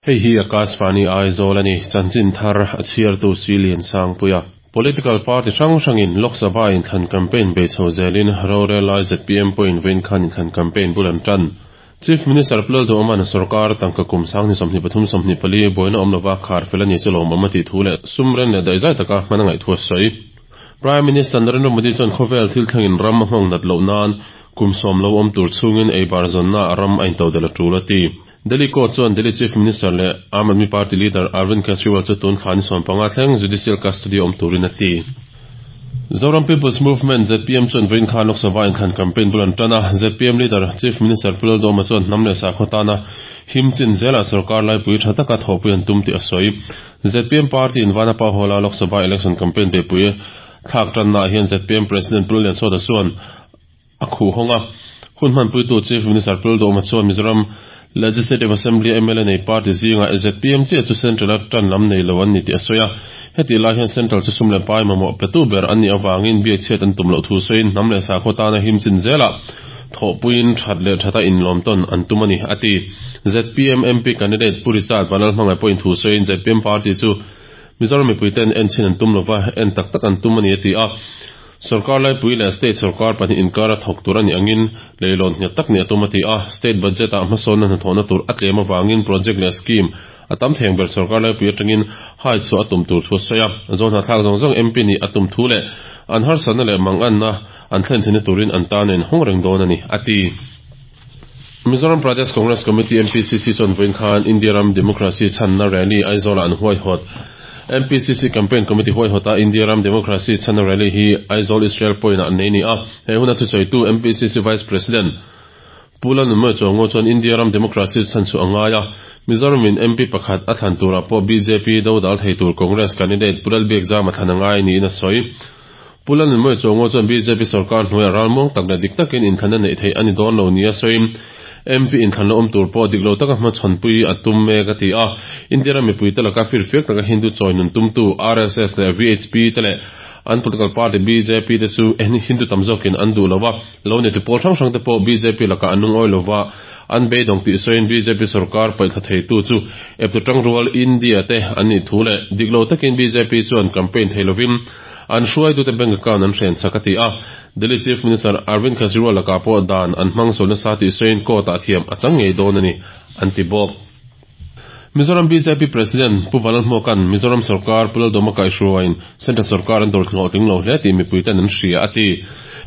Hei hi Akashvani Aizawl a ni, chanchin thar a chhiartu Silian Sangpuia. Political party hrang hrangin Lok Sabha inthlan campaign bei chho zelin rorel lai zpm pawhin vawiin khan inthlan campaign bul an tan. Chief Minister Pu Lalduhawma'n sorkar tangka kum 2023 24 buaina awm lova khar fel a ni chu lawmawm a tih thu leh sum ren leh daihzai taka hman a ngaih thu a sawi. Prime Minister Narendra Modi chuan khawvel thil thlengin ram a nghawng nat loh nan kum sawm lo awm tur chhungin eibar zawnna a ram a intodelh a tul a ti. Delhi Court chuan Delhi Chief Minister leh Aam Aadmi Party leader Arvind Kejriwal chu tun thla ni 15 thleng judicial custody awm turin a ti. Zoram People's Movement, zpm, chuan vawiin khan Lok Sabha inthlan campaign bul an tan a, zpm leader Chief Minister Pu Lalduhoma chuan hnam leh sakhaw tana him chin zelah sorkar laipui tha taka thawhpui an tum tih a sawi. Zpm party in Vanapa Hall-a Lok Sabha election campaign beihpui thlak tannaah hian zpm President Pu Lalliansawta chuan a khuh hawng a. Hun hmanpuitu Chief Minister Pu Lalduhoma chuan Mizoram Legislative Assembly mla nei party zingah zpm chiah chu Central-a tan lam nei lo an ni tih a sawi a. Hetih lai hian Central chu sum leh pai mamawh petu ber an nih avangin biakchhiat an tum loh thu sawiin hnam leh sakhaw tana him chin zelah thawhpuiin that leh thata inlawmtawn an tum a ni, a ti. Zpm MP candidate Pu Richard Vanlalhmangaih pawhin thu sawiin zpm party chu Mizoram mipuiten en chhin an tum lova, en tak tak an tum a ni, a ti a. Sorkar laipui leh state sorkar pahnih inkara thawk tur a nih angin leilawn nghet tak nih a tum a ti a. State budget ah hmasawnna hnathawhna tur a tlem avangin project leh scheme a tam theng ber sorkar laipui atangin hai chhuah a tum tur thu a sawi a. Zawhnahthlak zawng zawng MP nih a tum thu leh an harsatna leh manganna an thlen theihna turin an tan a inhawng reng dawn a ni, a ti. Mizoram Pradesh Congress Committee, MPCC, chuan vawiin khan India ram Democracy chhanna rally Aizawlah an huaihawt. MPCC Campaign Committee huaihawta India ram Democracy chhanna rally hi Aizawl Israel Point-ah an nei ni a. He huna thusawitu MPCC Vice President Pu Lalnunmawia Chuango chuan India ram Democracy chhan chu a ngai a. Mizoramin MP pakhat a thlan turah pawh bjp dodal thei tur Congress candidate Pu Lalbiakzama thlan a ngai niin a sawi. Pu Lalnunmawia Chuango chuan bjp sorkar hnuaiah ralmuang tak leh dik takin inthlanna neih theih a ni dawn lo nia sawiin MP inthlanna awm tur pawh dik lo taka hmachhawnpui a tum mek a ti a. India ram mipuite laka firfiak taka Hindu chawi nun tumtu RSS leh VHP te leh an political party bjp te chu Hindu tam zawkin an duh lo a, lo ni ti pawl hrang hrang te pawh bjp lakah an lungawi lo va, an beidawng tih sawiin bjp sorkar paihthla theitu chu eptu tangrual India te an nih thu leh dik lo takin bjp chuan campaign thei lovin An hruaitute bank account an hren chak a ti a, Delhi Chief Minister Arvind Kejriwal lakah pawh dan an hmang sual nasa tih sawiin court-ah thiam a chang ngei dawn a ni, an ti bawk. Mizoram bjp President Pu Vanlalhmuaka'n Mizoram sorkar Pu Laldawma kaihhruaiin Central sorkar an dawr hlawhtling lo hle tih mipuiten an hria a ti.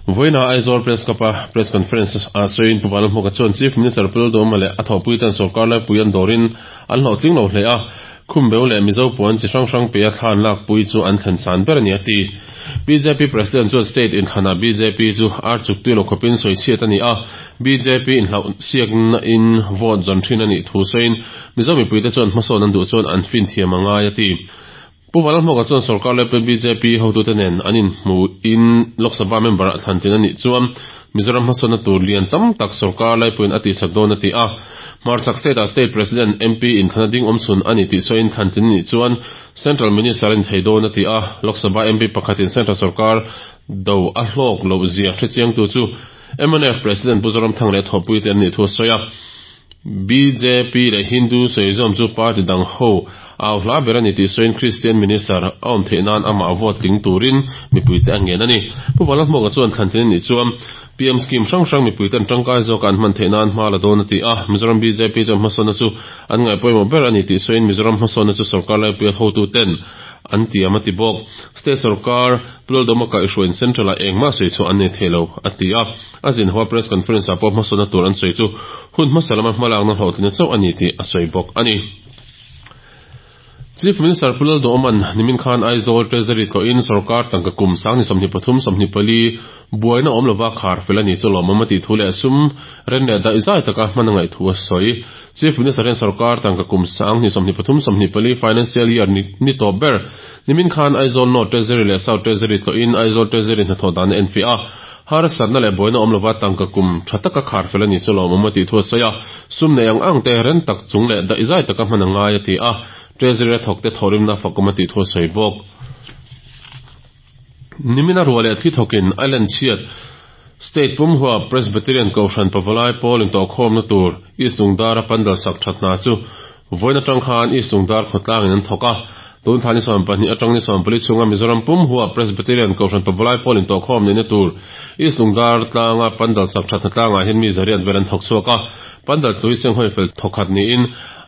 Vawiina Aizawl Press Club-a Press Conference ah sawiin Pu Vanlalhmuaka chuan Chief Minister Pu Laldawma leh a thawhpuiten sorkar laipui an dawrin an hlawhtling lo hle a, Khumbeu leh Mizo puan chi hrang hrang peia thlan lakpui chu an thlen san ber a ni a ti. Bjp President chuan state inthlanah bjp chu ar chuk tui lo khawpin sawi chhiat a ni a, bjp inhlauh siakna in vote zawn thin a nih thu sawiin Mizo mipuite chuan hmasawn an duh chuan an fin thiam a ngai a ti. Pu Vanlalhmawka chuan sorkar leh bjp hotute nen an inhmuhin Lok Sabha member ah thlan tin a nih chuan Mizoram hmasawnna tur lian tam tak sorkar laipuiin a tihsak dawn a ti a. Hmarchhak state-ah state president, MP inthlan a ding awm chhun a ni tih sawiin thlan tin nih chuan central minister a ni thei dawn a ti a. Lok Sabha MP pakhatin central sorkar do a hlawk loh zia hrechiangtu chu mnf president Pu Zoramthang leh thawhpuite an nih thu a sawi a. Bjp leh Hindu sawizawm chu party dang ho au hla ber a ni tih sawiin Kristian Minister a awm theih nan amah vote tling turin mipuite a ngen a ni. Pu Vanlalhmuaka chuan thlantin a nih chuan PM scheme hrang hrang mipuiten tangkai zawka an hman theih nan hma la dawn a ti a, Mizoram bjp chuan hmasawnna chu an ngaihpawimawh ber a ni tih sawiin Mizoram hmasawnna chu sorkar laipuia hotuten an tiam a ti bawk. State sorkar Pu Laldawma kaihhruaiin Central-ah engmah sawi chhuah an nei thei lo a ti a. A zinhua press conference ah pawh hmasawnna tur an sawi chu hun hmasa lama hmalakna hlawhtlinna chauh a ni tih a sawi bawk a ni. Chief Minister Pu Lalduhawma'n nimin khan Aizawl Treasury tlawhin sorkar tangka kum 2023 24 buaina awm lova khar fel a ni chu lawmawm a tih thu leh sum ren leh daihzai taka hman a ngaih thu a sawi. Chief Minister hian sorkar tangka kum 2023 24 financial year ni tawp ber nimin khan Aizawl North Treasury leh South Treasury tlawhin Aizawl Treasury hnathawh dan a enfiah a. Harsatna leh buaina awm lova tangka kum tha taka khar fel a ni chu lawmawm a tih thu a sawi a, sum nei ang ang te ren tak chung leh daihzai taka hman a ngai a ti a, Treasury a thawk te thawhrimna fakawm a tih thu a sawi bawk. Nimina ruah leh thli thawkin Island chhiat State pumhua Presbyterian Kohhran Pavalai pawl intawhkhawmna tur East Lungdara pandal sak that hna chu. Vawiin atang khan East Lungdar khawtlangin an thawk a, tun thla ni 12 atang ni 14 chhunga Mizoram pum huap Presbyterian Kohhran Pavalai pawl intawhkhawm neihna tur East Lungdar tlanga pandal sak thatna tlangah hian mi zariat vel an thawk chhuak a, pandal tlu hi senghawi fel thawkhat niin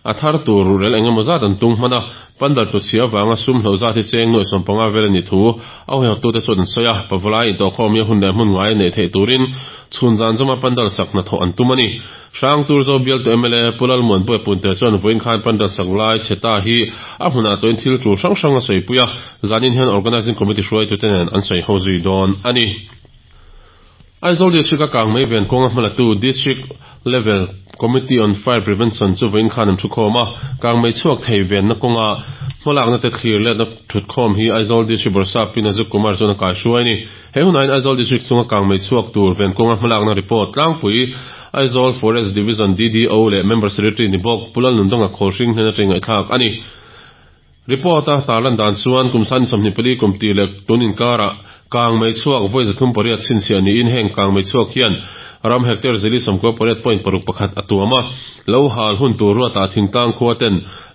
a thar tur ruhrel eng emaw zat an tung hman a, pandal tlu chhia avanga sum hloh zat hi cheng nuaih 15 vel a nih thu a huaihawttute chuan an sawi a, Pavalai intawhkhawm hi a hun leh hmun ngai a neih theih turin chhun zan zawma pandal sak hnathawh an tum a ni. Hrangturzo bialtu mla Pu Lalmuanpuia Punte chuan vawiin khan pandal sak lai chhe ta hi a hmunah tawhin thil tul hrang hrang a sawipui a, zanin hian Organising Committee hruaitute nen an sawi ho zui dawn a ni. Aizawl District a kang mai ven kawnga hmalatu District Level Committee on Fire Prevention chu vawiin khan an thukhawm a, kang mei chhuak thei venna kawnga hmalakna te thlir letna thutkhawm hi Aizawl District Bawrhsap Pi Nazuk Kumar chuan a kaihruai a ni. He hunah hian Aizawl District chunga kang mei chhuak tur ven kawnga hmalakna report tlangpui Aizawl Forest Division DDO leh Member Secretary ni bawk Pu Lalnundanga Khawlhring hnen atangin ngaihthlak a ni. Report a tarlan dan chuan kum sani 24 kum tir leh tun inkarah kang mei chhuak vawi 308 chhinchhiah niin heng kang mei chhuak hian ram hectare zili 98.61 a tuam a, lo hal hun tur ruatah thingtlang khua ten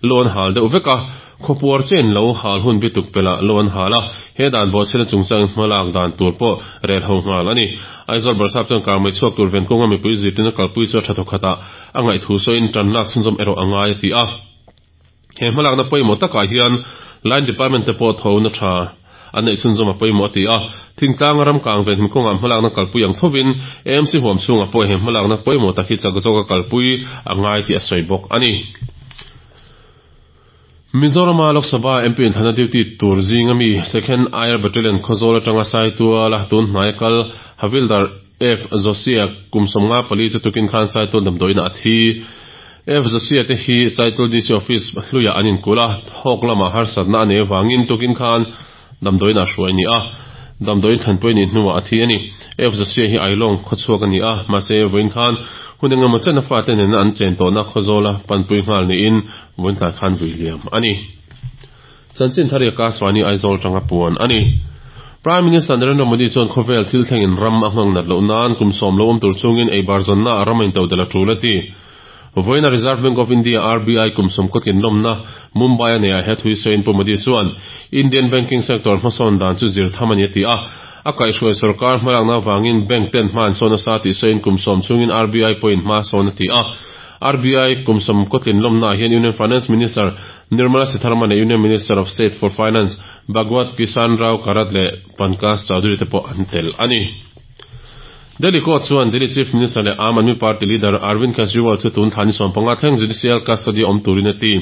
lo an hal deuh vek a, Khawpuar chen lo hal hun bituk pelh lo an hal a, he dan bawhchhiatna chungchangin hmalak dan tur pawh rel ho nghal a ni. Aizawl Barsap chuan kangmei chhuak tur ven kawnga mipui zirtirna kalpui chu a tha thawkhat ah a ngaihthu sawiin tan lak chhunzawm erawh a ngai a ti a. He hmalakna pawimawh takah hian Line Department te pawh tho na tha an neih chhunzawm a pawimawh a ti a. Thingtlanga ram kang ven him kawngah hmalakna kalpui ang thovin AMC huam chhungah pawh he hmalakna pawimawh tak hi chak zawka kalpui a ngai tih a sawi bawk a ni. Mizorama Lok Sabha MP inthlanna duty tur zinga mi Second Air Battalion Khawzawl atanga Saituala tun hnaia kal Havildar F Josia kum 54 chu tukin khan Saitual damdawiinah a thi. F Josia te hi Saitual DC Office hluiah an inkulh a, thawk lamah harsatna a nei avangin tukin khan damdawiinah hruai a ni a, damdawiin thlanpui a nih hnuah a thi a ni. F Josia hi Ailawng khawchhuak a ni a, mahse vawiin khan hun engemaw chen a fate nena an chen tawhna Khawzawla panpui nghal niin vawiin tlai khan vui liam a ni. Chanchin thar Yaka Swani Aizawl tanga puan a ni. Prime Minister Narendra Modi chuan khawvel thil thlengin ram a nghang nat loh nan kum sawm lo awm tur chungin eibar zawnna a ram a intodelh a tul a ti. Vawiina Reserve Bank of India, RBI, kum sawmkaw tlinlawmna Mumbai a neiah he thui sawiin Pu Modi chuan Indian banking sector hmasawn dan chu zir tham a ni a ti a. A kaihhruai sorkar hmalakna avangin bank ten hma an sawn nasa tih sawiin kum sawm chhungin RBI pawhin hma a sawn a ti a. RBI kum sawmkaw tlinlawmnaah hian Union Finance Minister Nirmala Sitharaman leh Union Minister of State for Finance Bhagwat Kisanrao Karad leh Pankaj Chaudhary te pawh an tel a ni. Delhi Court chuan Delhi Chief Minister leh Aam Aadmi Party leader Arvind Kejriwal chu tun thla ni 15 thleng judicial custody a awm turin a ti.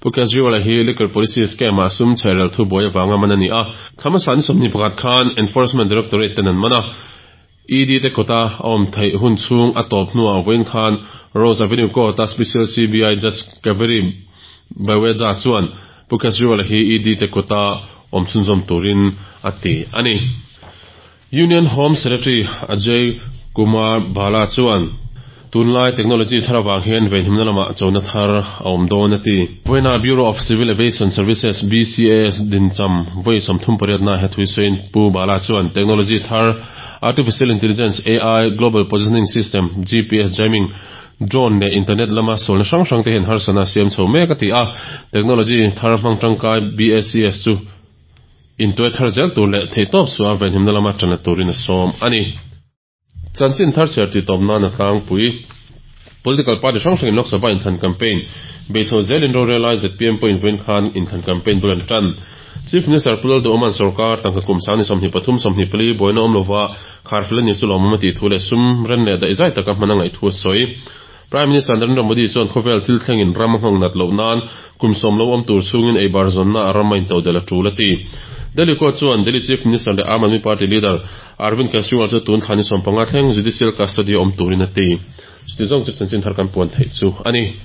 Pu Kejriwal-a hi liquor policy scam-ah sum chhehrel thu buai avanga man a ni a. Thla hmasa ni 21 khan Enforcement Directorate ten an man a. ED te kawta a awm theih hun chhung a tawp hnuah vawiin khan Rose Avenue Court-a Special CBI Judge Kaveri Baweja chuan Pu Kejriwal-a hi ED te kawta awm chhunzawm turin a ti a ni. Union Home Secretary Ajay Kumar Bhalla chuan tunlai technology thar avang hian venhimna lamah chona thar a awm dawn a ti. Vawiina Bureau of Civil Aviation Services, BCAS, dincham vawi 38 na he thui sawiin Pu Bhalla chuan technology thar Artificial Intelligence, AI, Global Positioning System, GPS, jamming, drone leh internet lama sualna hrang hrang te hian harsatna a siam chho mek a ti a. Technology thar hmang tangkai BACS chu Intuai thar zel tur leh theihtawp suah venhimna lama tanla turin a sawm a ni. Chanchin thar chhiar tih tawp nan a tlangpui. Political party hrang hrangin Lok Sabha inthlan campaign bei chho zelin rorel lai zpm pawhin vawiin khan inthlan campaign bul an tan. Chief Minister Pu Lalduhawma'n sorkar tangka kum sang ni 23, 24 buaina awm lova kharfel a ni chu lawmawm a tih thu leh sum ren leh daihzai taka hman a ngaih thu a sawi. Prime Minister Narendra Modi chuan khawvel thil thlengin ram a nghawng nat loh nan kum sawm lo awm tur chhungin eibar zawnna a ram a intodelh a tul a ti. Delhi Court chuan Delhi Chief Minister leh Aam Aadmi Party leader Arvind Kejriwal chu tun thla ni 15 thleng judicial custody a awm turin a ti. Chuti zawng chu chanchin thar kan puan theih chu a ni.